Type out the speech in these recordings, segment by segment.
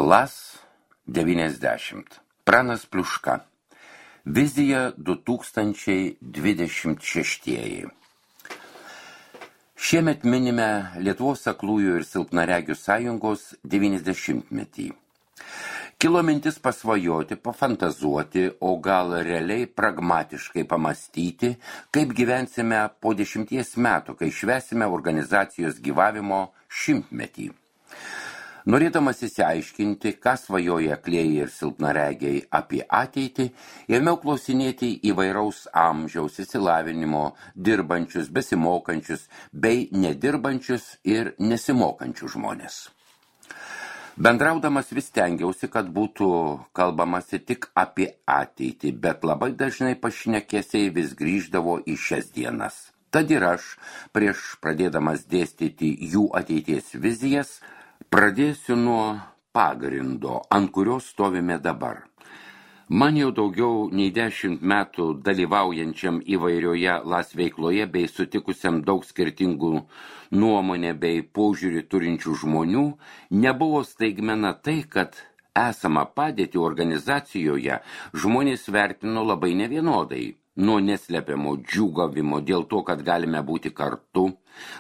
LAS 90. Pranas Pliuška. Vizija 2026. Šiemet minime Lietuvos aklųjų ir silpnaregių sąjungos 90-metį. Kilo mintis pasvajoti, pafantazuoti, o gal realiai pragmatiškai pamastyti, kaip gyvensime po 10 metų, kai švęsime organizacijos gyvavimo 100-metį. Norėdamas įsiaiškinti, ką svajoja aklieji ir silpnaregiai apie ateitį, ėmiau klausinėti įvairaus amžiaus, išsilavinimo, dirbančius, besimokančius bei nedirbančius ir nesimokančius žmonės. Bendraudamas vis stengiausi, kad būtų kalbamasi tik apie ateitį, bet labai dažnai pašnekesiai vis grįždavo į šias dienas. Tad ir aš, prieš pradėdamas dėstyti jų ateities vizijas, pradėsiu nuo pagrindo, ant kurio stovime dabar. Man jau daugiau nei 10 metų dalyvaujančiam įvairioje LAS veikloje bei sutikusiam daug skirtingų nuomonę bei požiūrį turinčių žmonių nebuvo staigmena tai, kad esamą padėtį organizacijoje žmonės vertino labai nevienodai. Nuo neslepiamo džiūgavimo dėl to, kad galime būti kartu,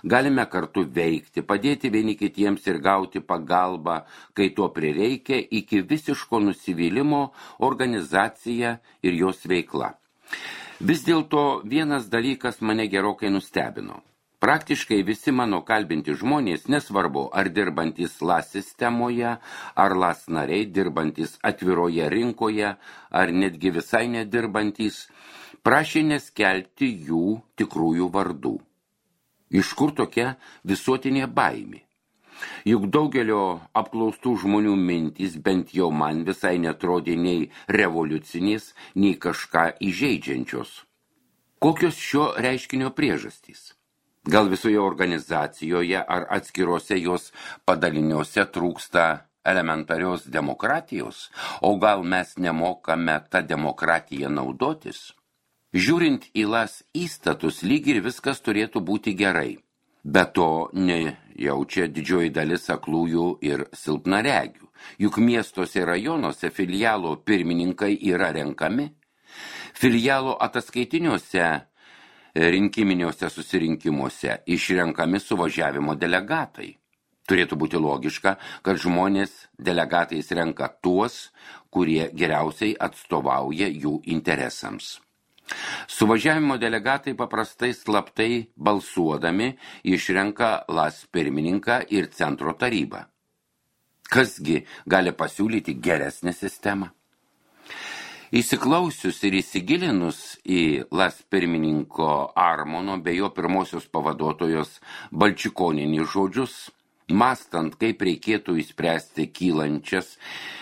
galime kartu veikti, padėti vieni kitiems ir gauti pagalbą, kai to prireikia, iki visiško nusivylimo organizacija ir jos veikla. Vis dėlto vienas dalykas mane gerokai nustebino. Praktiškai visi mano kalbinti žmonės, nesvarbu ar dirbantys LAS sistemoje, ar LAS nariai dirbantys atviroje rinkoje, ar netgi visai nedirbantys, prašė neskelbti jų tikrųjų vardų. Iš kur tokia visuotinė baimė? Juk daugelio apklaustų žmonių mintys bent jau man visai netrodė nei revoliucinės, nei kažką įžeidžiančios. Kokios šio reiškinio priežastys? Gal visoje organizacijoje ar atskirose jos padaliniuose trūksta elementarios demokratijos, o gal mes nemokame tą demokratiją naudotis? Žiūrint į LAS įstatus, lyg ir viskas turėtų būti gerai. Be to nejaučia didžioji dalis aklųjų ir silpnaregių. Juk miestuose ir rajonuose filialo pirmininkai yra renkami. Filialo ataskaitiniuose rinkiminiuose susirinkimuose išrenkami suvažiavimo delegatai. Turėtų būti logiška, kad žmonės delegatais renka tuos, kurie geriausiai atstovauja jų interesams. Suvažiavimo delegatai paprastai slaptai balsuodami išrenka LAS pirmininką ir centro tarybą. Kasgi gali pasiūlyti geresnę sistemą? Įsiklausius ir įsigilinus į LAS pirmininko Armono bei jo pirmosios pavaduotojos Balčikonienės žodžius, mąstant, kaip reikėtų išspręsti kylančias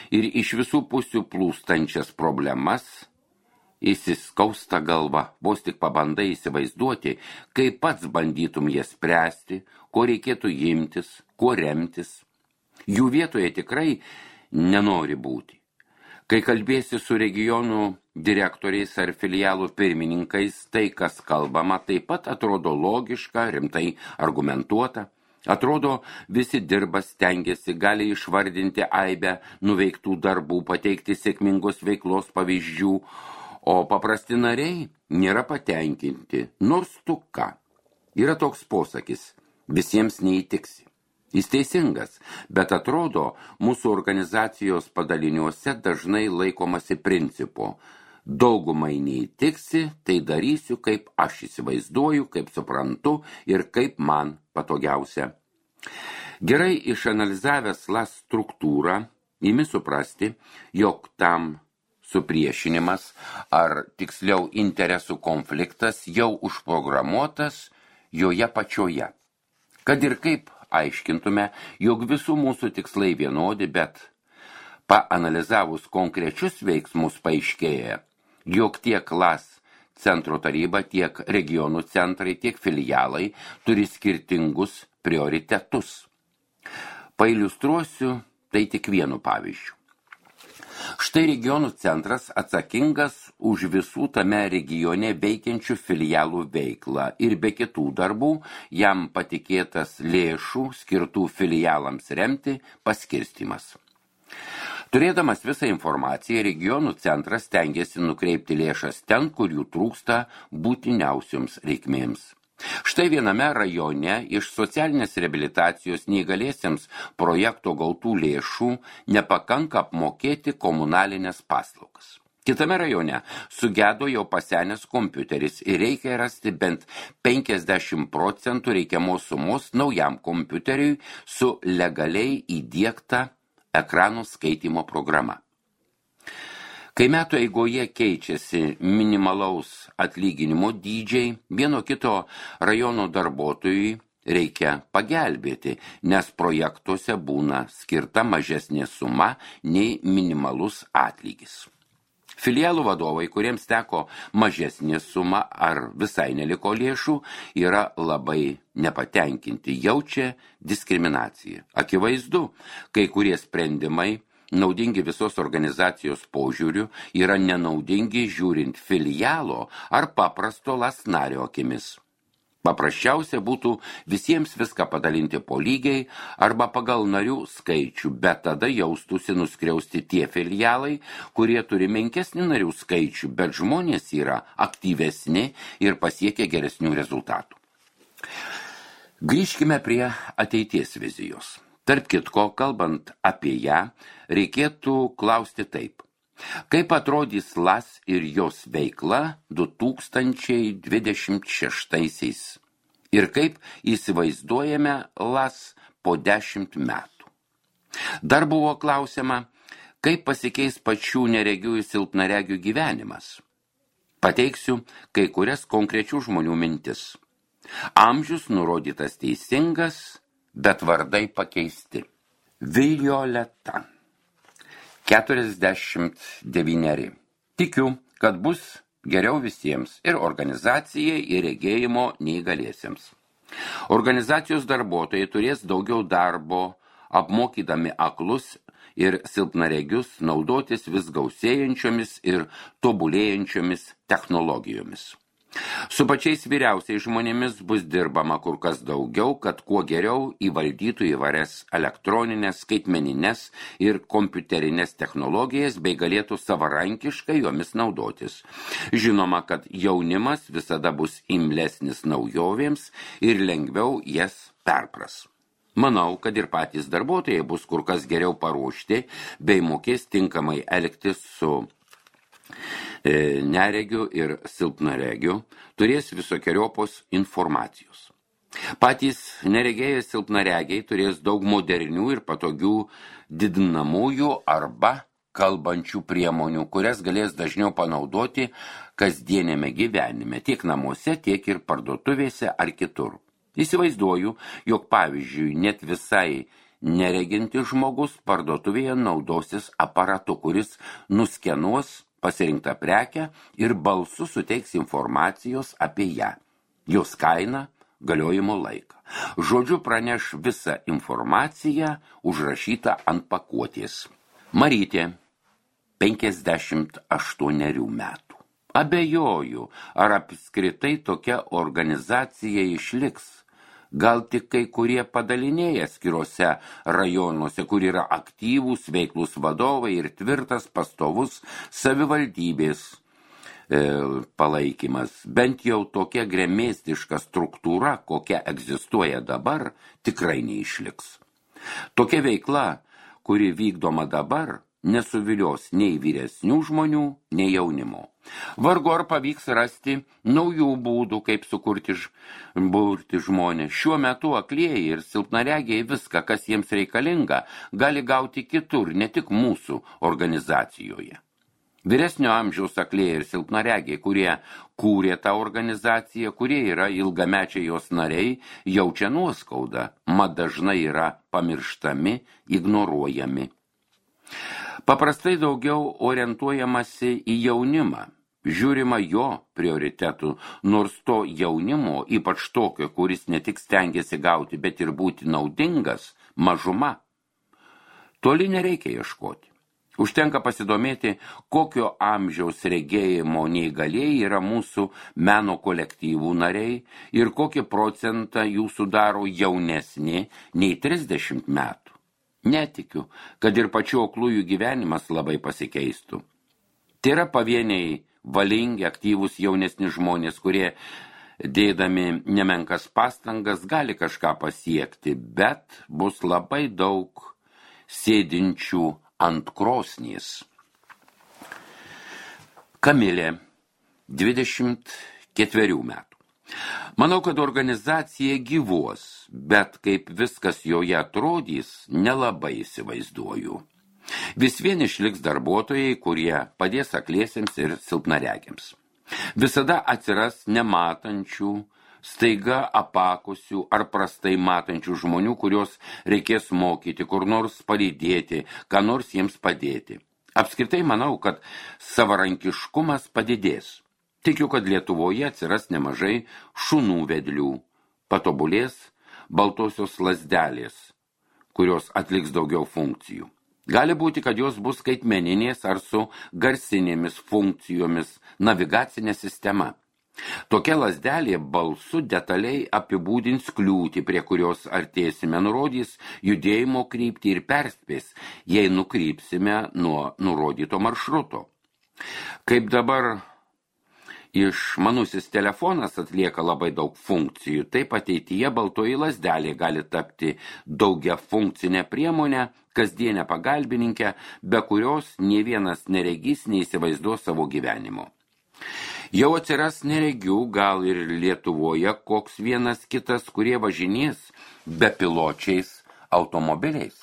ir iš visų pusių plūstančias problemas, įsiskausta galva, vos tik pabandai įsivaizduoti, kaip pats bandytum jas spręsti, ko reikėtų imtis, kuo remtis. Jų vietoje tikrai nenori būti. Kai kalbėsi su regionų direktoriais ar filialų pirmininkais, tai, kas kalbama, taip pat atrodo logiška, rimtai argumentuota. Atrodo, visi dirba, stengiasi, gali išvardinti aibę nuveiktų darbų, pateikti sėkmingos veiklos pavyzdžių, o paprasti nariai nėra patenkinti, nors tu ką. Yra toks posakis, visiems neįtiksi. Jis teisingas, bet atrodo, mūsų organizacijos padaliniuose dažnai laikomasi principo. Daugumai neįtiksi, tai darysiu, kaip aš įsivaizduoju, kaip suprantu ir kaip man patogiausia. Gerai išanalizavęs LAS struktūrą, imi suprasti, jog tam supriešinimas ar tiksliau interesų konfliktas jau užprogramuotas joje pačioje. Kad ir kaip aiškintume, jog visų mūsų tikslai vienodi, bet paanalizavus konkrečius veiksmus paaiškėja, jog tiek LAS centro taryba, tiek regionų centrai, tiek filialai turi skirtingus prioritetus. Pailiustruosiu tai tik vienu pavyzdžiu. Štai regionų centras atsakingas už visų tame regione veikiančių filialų veiklą ir be kitų darbų jam patikėtas lėšų skirtų filialams remti paskirstymas. Turėdamas visą informaciją, regionų centras stengiasi nukreipti lėšas ten, kur jų trūksta būtiniausioms reikmėms. Štai viename rajone iš socialinės reabilitacijos neįgaliesiems projekto gautų lėšų nepakanka apmokėti komunalinės paslaugas. Kitame rajone sugedo jau pasenęs kompiuteris ir reikia rasti bent 50% reikiamos sumos naujam kompiuteriui su legaliai įdiegta ekranų skaitymo programa. Kai metų eigoje keičiasi minimalaus atlyginimo dydžiai, vieno kito rajono darbuotojui reikia pagelbėti, nes projektuose būna skirta mažesnė suma nei minimalus atlygis. Filialų vadovai, kuriems teko mažesnė suma ar visai neliko lėšų, yra labai nepatenkinti, jaučia diskriminaciją. Akivaizdu, kai kurie sprendimai naudingi visos organizacijos požiūrių yra nenaudingi žiūrint filialo ar paprasto lasnario akimis. Paprasčiausia būtų visiems viską padalinti po lygiai arba pagal narių skaičių, bet tada jaustųsi nuskriausti tie filialai, kurie turi menkesnį narių skaičių, bet žmonės yra aktyvesni ir pasiekia geresnių rezultatų. Grįžkime prie ateities vizijos. Tarp kitko, kalbant apie ją, reikėtų klausti taip. Kaip atrodys LAS ir jos veikla 2026 ir kaip įsivaizduojame LAS po 10 metų? Dar buvo klausiama, kaip pasikeis pačių neregių ir silpnaregių gyvenimas. Pateiksiu kai kurias konkrečių žmonių mintis. Amžius nurodytas teisingas, bet vardai pakeisti. Violeta, 49. Tikiu, kad bus geriau visiems ir organizacijai, ir regėjimo neįgaliesiems. Organizacijos darbuotojai turės daugiau darbo, apmokydami aklus ir silpnaregius naudotis vis gausėjančiomis ir tobulėjančiomis technologijomis. Su pačiais vyriausiais žmonėmis bus dirbama kur kas daugiau, kad kuo geriau įvaldytų įvairias elektroninės, skaitmeninės ir kompiuterinės technologijas bei galėtų savarankiškai jomis naudotis. Žinoma, kad jaunimas visada bus imlesnis naujovėms ir lengviau jas perpras. Manau, kad ir patys darbuotojai bus kur kas geriau paruošti bei mokės tinkamai elgtis su neregių ir silpnaregių, turės visokiojopos informacijos. Patys neregėjai silpnaregiai turės daug modernių ir patogių didinamųjų arba kalbančių priemonių, kurias galės dažniau panaudoti kasdienėme gyvenime, tiek namuose, tiek ir parduotuvėse ar kitur. Įsivaizduoju, jog pavyzdžiui, net visai neregintis žmogus parduotuvėje naudosis aparatu, kuris nuskenuos pasirinktą prekę ir balsu suteiks informacijos apie ją, jos kainą, galiojimo laiką. Žodžiu praneš visą informaciją užrašytą ant pakuotės. Marytė, 58 metų. Abejoju, ar apskritai tokia organizacija išliks. Gal tik kai kurie padaliniai atskiruose rajonuose, kur yra aktyvūs veiklūs vadovai ir tvirtas pastovus savivaldybės palaikymas. Bent jau tokia gremėstiška struktūra, kokia egzistuoja dabar, tikrai neišliks. Tokia veikla, kuri vykdoma dabar, nesuvilios nei vyresnių žmonių, nei jaunimo. Vargu ar pavyks rasti naujų būdų, kaip burti žmonės. Šiuo metu aklieji ir silpnaregiai viską, kas jiems reikalinga, gali gauti kitur, ne tik mūsų organizacijoje. Vyresnio amžiaus aklieji ir silpnaregiai, kurie kūrė tą organizaciją, kurie yra ilgamečiai jos nariai, jaučia nuoskaudą, mat dažnai yra pamirštami, ignoruojami. Paprastai daugiau orientuojamasi į jaunimą. Žiūrima jo prioritetų, nors to jaunimo, ypač tokio, kuris ne tik stengiasi gauti, bet ir būti naudingas, mažuma. Toli nereikia ieškoti. Užtenka pasidomėti, kokio amžiaus regėjimo neįgalieji yra mūsų meno kolektyvų nariai ir kokį procentą jų sudaro jaunesni nei 30 metų. Netikiu, kad ir pačių aklųjų gyvenimas labai pasikeistų. Tai yra pavieniai valingi, aktyvūs jaunesni žmonės, kurie dėdami nemenkas pastangas gali kažką pasiekti, bet bus labai daug sėdinčių ant krosnies. Kamilė, 24 metų. Manau, kad organizacija gyvuos, bet kaip viskas joje atrodys, nelabai įsivaizduoju. Vis vien išliks darbuotojai, kurie padės akliesiems ir silpnaregiams. Visada atsiras nematančių, staiga apakusių ar prastai matančių žmonių, kurios reikės mokyti, kur nors palydėti, ką nors jiems padėti. Apskritai manau, kad savarankiškumas padidės. Tikiu, kad Lietuvoje atsiras nemažai šunų vedlių, patobulės baltosios lazdelės, kurios atliks daugiau funkcijų. Gali būti, kad jos bus skaitmeninės ar su garsinėmis funkcijomis, navigacinė sistema. Tokia lazdelė balsu detaliai apibūdins kliūtį, prie kurios artėsime, nurodys judėjimo kryptį ir perspės, jei nukrypsime nuo nurodyto maršruto. Kaip dabar išmanusis telefonas atlieka labai daug funkcijų, taip ateityje baltoji lazdelė gali tapti daugiafunkcinę priemonę, kasdienę pagalbininkę, be kurios nė vienas neregys neįsivaizduos savo gyvenimo. Jau atsiras neregių, gal ir Lietuvoje koks vienas kitas, kurie važinės bepiločiais automobiliais.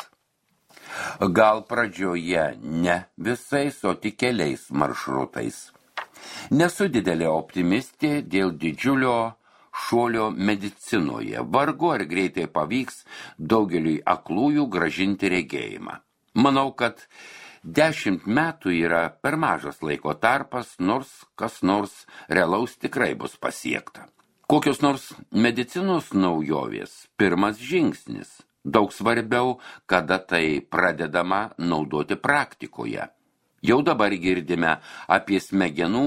Gal pradžioje ne visais, o tik keliais maršrutais. Nesu didelė optimistė dėl didžiulio šuolio medicinoje. Vargu ar greitai pavyks daugeliui aklųjų grąžinti regėjimą. Manau, kad 10 metų yra per mažas laiko tarpas, nors kas nors realaus tikrai bus pasiekta. Kokios nors medicinos naujovės – pirmas žingsnis. Daug svarbiau, kada tai pradedama naudoti praktikoje. Jau dabar girdime apie smegenų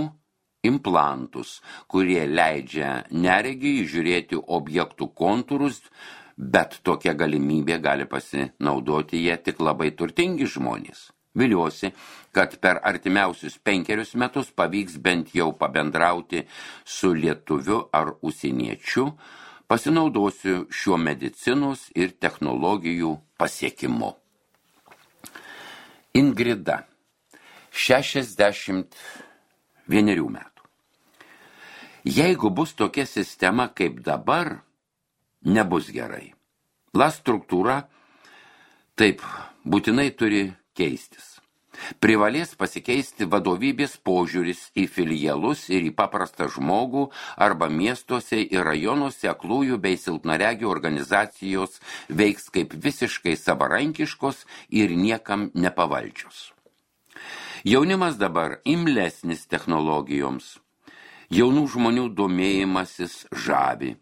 implantus, kurie leidžia neregiai žiūrėti objektų kontūrus, bet tokia galimybė gali pasinaudoti jie tik labai turtingi žmonės. Viliuosi, kad per artimiausius 5 metus pavyks bent jau pabendrauti su lietuviu ar užsieniečiu, pasinaudosiu šiuo medicinos ir technologijų pasiekimu. Ingrida, 61 metų. Jeigu bus tokia sistema kaip dabar, nebus gerai. La struktūra taip būtinai turi keistis. Privalės pasikeisti vadovybės požiūris į filialus ir į paprastą žmogų arba miestuose ir rajonuose aklųjų bei silpnaregių organizacijos veiks kaip visiškai savarankiškos ir niekam nepavaldžios. Jaunimas dabar imlesnis technologijoms. Jaunų žmonių domėjimasis žavi.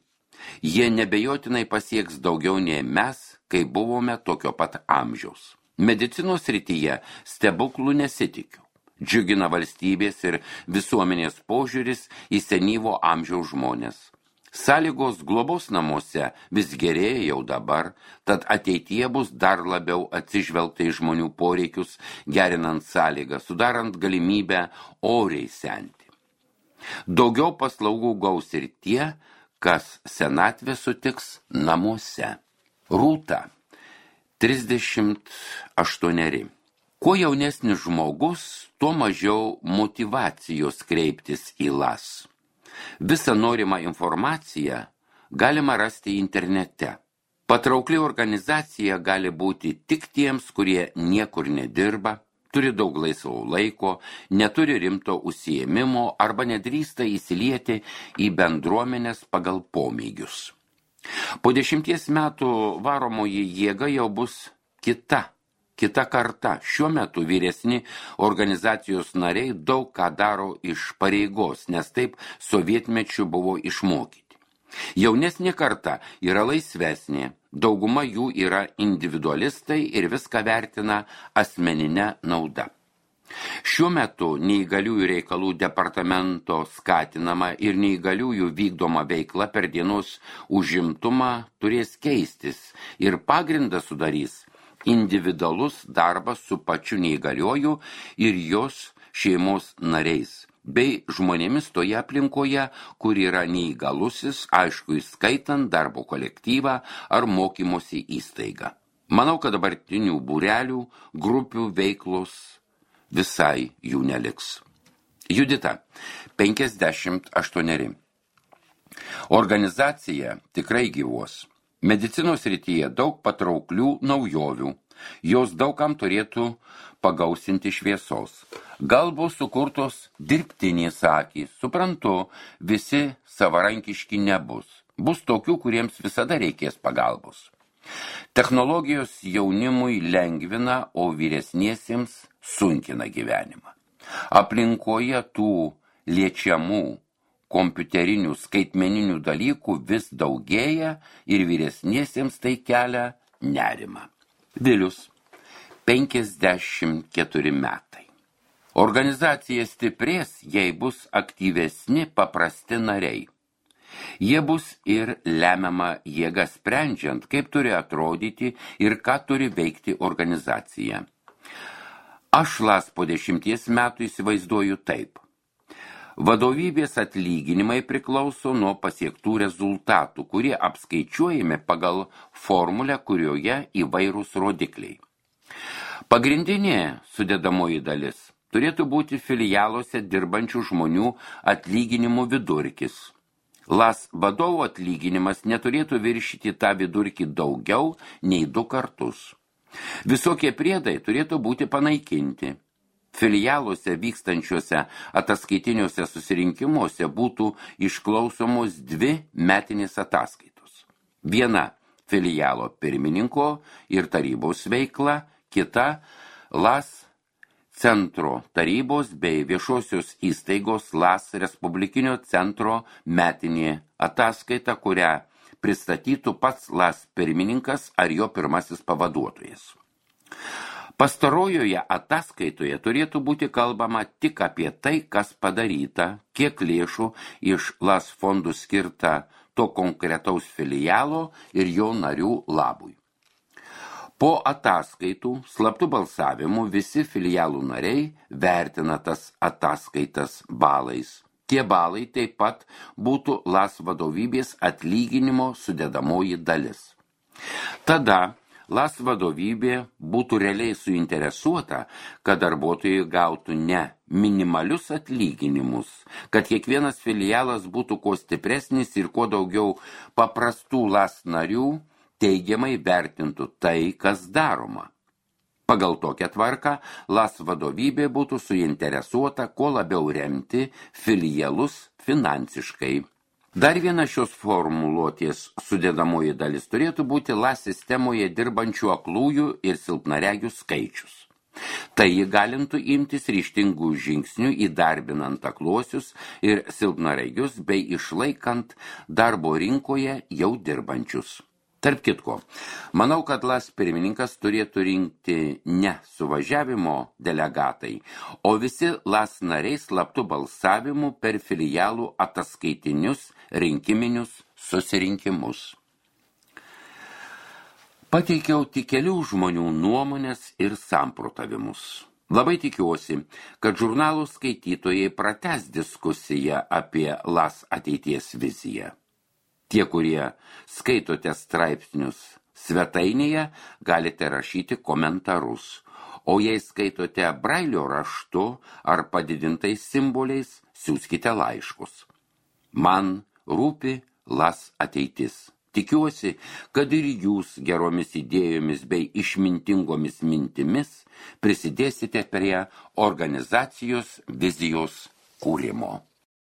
Jie nebejotinai pasieks daugiau nei mes, kai buvome tokio pat amžiaus. Medicinos srityje stebuklų nesitikiu. Džiugina valstybės ir visuomenės požiūris į senyvo amžiaus žmonės. Sąlygos globos namuose vis gerėja jau dabar, tad ateityje bus dar labiau atsižvelgta į žmonių poreikius, gerinant sąlygą, sudarant galimybę oriai senti. Daugiau paslaugų gaus ir tie, kas senatvę sutiks namuose. Rūta, 38. Kuo jaunesnis žmogus, tuo mažiau motyvacijos kreiptis į LAS. Visą norimą informaciją galima rasti internete. Patraukli organizacija gali būti tik tiems, kurie niekur nedirba, turi daug laisvo laiko, neturi rimto užsiėmimo arba nedrįsta įsilieti į bendruomenės pagal pomėgius. Po 10 metų varomoji jėga jau bus kita karta. Šiuo metu vyresni organizacijos nariai daug ką daro iš pareigos, nes taip sovietmečiu buvo išmokyti. Jaunesnė karta yra laisvesnė, dauguma jų yra individualistai ir viską vertina asmeninę naudą. Šiuo metu neįgaliųjų reikalų departamento skatinama ir neįgaliųjų vykdoma veikla per dienos užimtumą turės keistis ir pagrindą sudarys individualus darbas su pačiu neįgalioju ir jos šeimos nariais, bei žmonėmis toje aplinkoje, kur yra neįgalusis, aišku, įskaitant darbo kolektyvą ar mokymosi įstaigą. Manau, kad dabartinių būrelių, grupių veiklos visai jų neliks. Judita, 58. Organizacija tikrai gyvuos. Medicinos srityje daug patrauklių naujovių. Jos daugam turėtų pagausinti šviesos. Gal bus sukurtos dirbtinės akys. Suprantu, visi savarankiški nebus. Bus tokių, kuriems visada reikės pagalbos. Technologijos jaunimui lengvina, o vyresniesiems sunkina gyvenimą. Aplinkoje tų liečiamų kompiuterinių skaitmeninių dalykų vis daugėja ir vyresniesiems tai kelia nerimą. Vilius, 54 metai. Organizacija stiprės, jei bus aktyvesni paprasti nariai. Jie bus ir lemiama jėga sprendžiant, kaip turi atrodyti ir ką turi veikti organizacija. Aš LAS po 10 metų įsivaizduoju taip. Vadovybės atlyginimai priklauso nuo pasiektų rezultatų, kurie apskaičiuojami pagal formulę, kurioje įvairūs rodikliai. Pagrindinė sudedamoji dalis turėtų būti filialuose dirbančių žmonių atlyginimų vidurkis. LAS vadovo atlyginimas neturėtų viršyti tą vidurkį daugiau nei 2 kartus. Visokie priedai turėtų būti panaikinti. Filialuose vykstančiuose ataskaitiniuose susirinkimuose būtų išklausomos 2 metinės ataskaitos. Viena filialo pirmininko ir tarybos veikla, kita LAS centro tarybos bei viešosios įstaigos LAS Respublikinio centro metinė ataskaita, kurią pristatytų pats LAS pirmininkas ar jo pirmasis pavaduotojas. Pastarojoje ataskaitoje turėtų būti kalbama tik apie tai, kas padaryta, kiek lėšų iš LAS fondų skirta to konkretaus filialo ir jo narių labui. Po ataskaitų slaptų balsavimų visi filialų nariai vertina tas ataskaitas balais. Tie balai taip pat būtų LAS vadovybės atlyginimo sudedamoji dalis. Tada LAS vadovybė būtų realiai suinteresuota, kad darbuotojai gautų ne minimalius atlyginimus, kad kiekvienas filialas būtų kuo stipresnis ir kuo daugiau paprastų LAS narių teigiamai vertintų tai, kas daroma. Pagal tokią tvarką LAS vadovybė būtų suinteresuota kuo labiau remti filialus finansiškai. Dar viena šios formuluotės sudedamoji dalis turėtų būti LAS sistemoje dirbančių aklųjų ir silpnaregių skaičius. Tai įgalintų imtis ryžtingų žingsnių įdarbinant akluosius ir silpnaregius bei išlaikant darbo rinkoje jau dirbančius. Tarp kitko, manau, kad LAS pirmininkas turėtų rinkti ne suvažiavimo delegatai, o visi LAS nariai slaptų balsavimų per filialų ataskaitinius rinkiminius susirinkimus. Pateikiau tik kelių žmonių nuomonės ir samprotavimus. Labai tikiuosi, kad žurnalų skaitytojai pratęs diskusiją apie LAS ateities viziją. Tie, kurie skaitote straipsnius svetainėje, galite rašyti komentarus, o jei skaitote brailio raštu ar padidintais simboliais, siųskite laiškus. Man rūpi LAS ateitis. Tikiuosi, kad ir jūs geromis idėjomis bei išmintingomis mintimis prisidėsite prie organizacijos vizijos kūrimo.